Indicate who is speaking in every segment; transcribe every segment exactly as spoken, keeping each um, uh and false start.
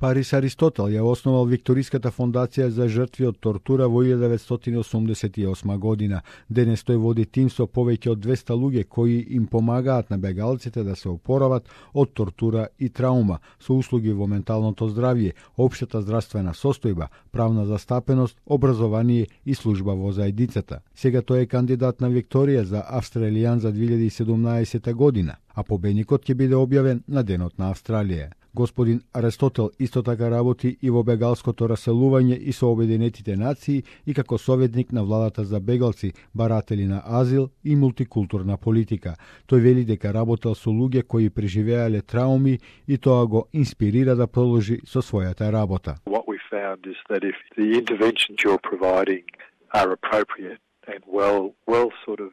Speaker 1: Парис Аристотел ја основал Викториската фондација за жртви од тортура во илјада деветстотини осумдесет и осма година. Денес тој води тим со повеќе од двеста луѓе кои им помагаат на бегалците да се опорават од тортура и траума со услуги во менталното здравје, општата здравствена состојба, правна застапеност, образование и служба во заедницата. Сега тој е кандидат на Викторија за Австралијан за две илјади и седумнаесета година, а победникот ќе биде објавен на Денот на Австралија. Господин Аристотел исто така работи и во бегалското раселување и со Обединетите нации и како советник на владата за бегалци, баратели на азил и мултикултурна политика. Тој вели дека работел со луѓе кои преживеале трауми и тоа го инспирира да продолжи со својата работа.
Speaker 2: What we found is that if the interventions you're providing are appropriate and well well sort of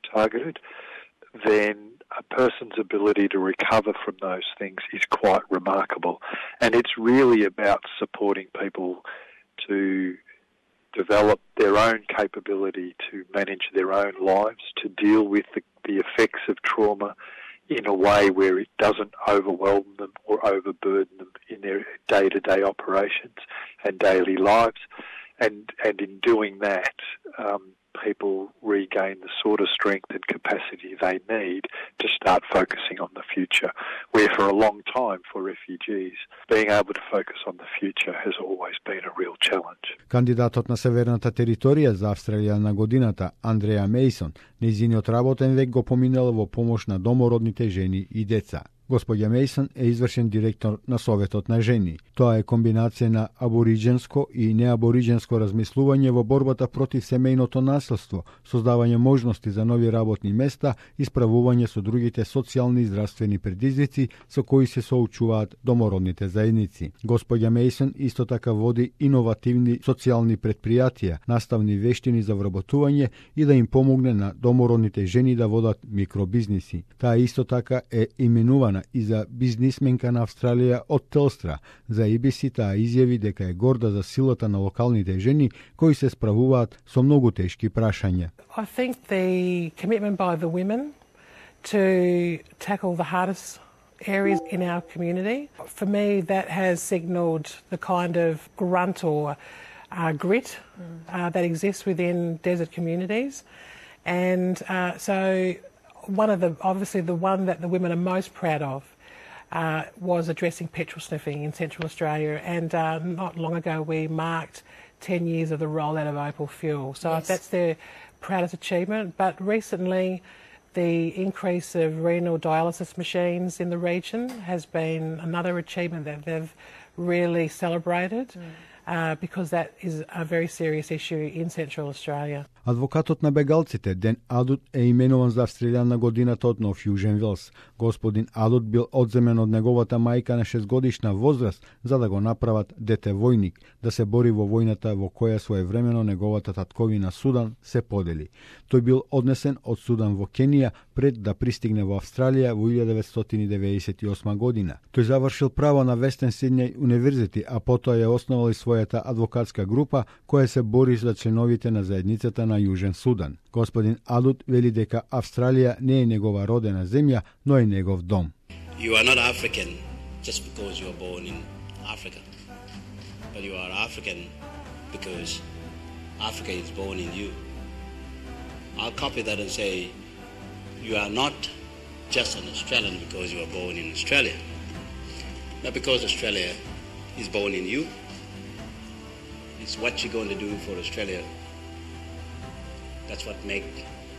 Speaker 2: targeted, then a person's ability to recover from those things is quite remarkable. And it's really about supporting people to develop their own capability to manage their own lives, to deal with the, the effects of trauma in a way where it doesn't overwhelm them or overburden them in their day-to-day operations and daily lives. And, and in doing that, um, people regain the sort of strength and capacity they need to start focusing on the future, where for a long time for refugees, being able to focus on the future has always been a real challenge.
Speaker 1: Кандидатот на Северната територија за Австралија на годината, Андреа Мейсон, нејзиниот работен век го поминал во помош на домородните жени и деца. Господја Мейсон е извршен директор на Советот на жени. Тоа е комбинација на абориџенско и неабориџенско размислување во борбата против семејното насилство, создавање можности за нови работни места и справување со другите социјални и здравствени предизвици со кои се соочуваат домородните заедници. Господја Мейсон исто така води иновативни социјални предпријатија, наставни вештини за вработување и да им помогне на домородните жени да водат микробизниси. Таа исто така е именувана и за бизнисменка на Австралија од Телстра. За И Би Си таа изјави дека е горда за силата на локалните жени кои се справуваат со многу тешки прашања.
Speaker 3: I think the commitment by the women to tackle the hardest areas in our community, for me that has signalled the kind of grunt or uh, grit uh, that exists within desert communities. And uh, so one of the, obviously the one that the women are most proud of uh, was addressing petrol sniffing in Central Australia, and uh, not long ago we marked ten years of the rollout of Opal Fuel. So yes, that's their proudest achievement. But recently the increase of renal dialysis machines in the region has been another achievement that they've really celebrated. Mm. Uh, because that is a very serious issue in Central Australia.
Speaker 1: Адвокатот на бегалците Ден Адут е именуван за Австралијан на годината од Нов Јужен Велс. Господин Адут бил одземен од неговата мајка на шестгодишна возраст за да го направат дете војник, да се бори во војната во која своевремено неговата татковина Судан се подели. Тој бил однесен од Судан во Кенија пред да пристигне во Австралија во илјада деветстотини деветдесет и осма година. Тој завршил право на Вестен Сиднеј универзитет, а потоа ја основал и својата адвокатска група која се бори за членовите на заедницата на Јужен Судан. Господин Адут вели дека Австралија не е негова родена земја, но е негов дом.
Speaker 4: You are not African just because you are born in Africa, but you are African because Africa is born in you. I'll copy that and say you are not just an Australian because you are born in Australia, not because Australia is born in you. It's what you're going to do for Australia. That's what make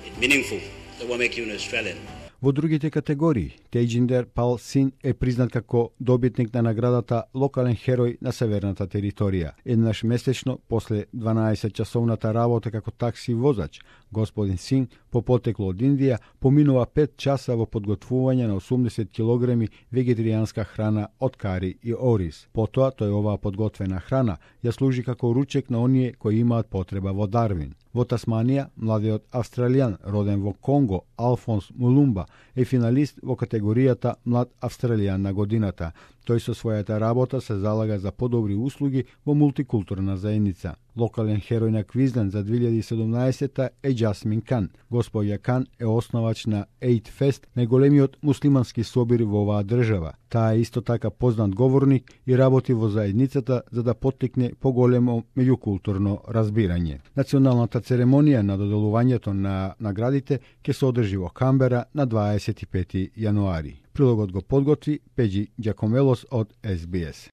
Speaker 4: it meaningful. That will make you an Australian.
Speaker 1: Во другите категории, Тејџиндер Пал Син е признат како добитник на наградата Локален херој на Северната територија. Еднаш месечно, после дванаесет часовната работа како такси возач, господин Син, по потекло од Индија, поминува пет часа во подготвување на осумдесет килограми вегетаријанска храна од кари и ориз. Потоа, тој оваа подготвена храна ја служи како ручек на оние кои имаат потреба во Дарвин. Во Тасманија, младиот австралијан, роден во Конго, Алфонс Мулумба, е финалист во категоријата Млад австралијан на годината. Тој со својата работа се залага за подобри услуги во мултикултурна заедница. Локален херој на Квизленд за две илјади и седумнаесетта е Джасмин Кан. Господја Кан е основач на Eid Fest, најголемиот муслимански собир во оваа држава. Таа е исто така познат говорник и работи во заедницата за да поттикне поголемо меѓукултурно разбирање. Националната церемонија на доделувањето на наградите ќе се одржи во Камбера на дваесет и пети јануари. Прилогот го подготви Пеџи Ѓакомелос од Ес Би Ес.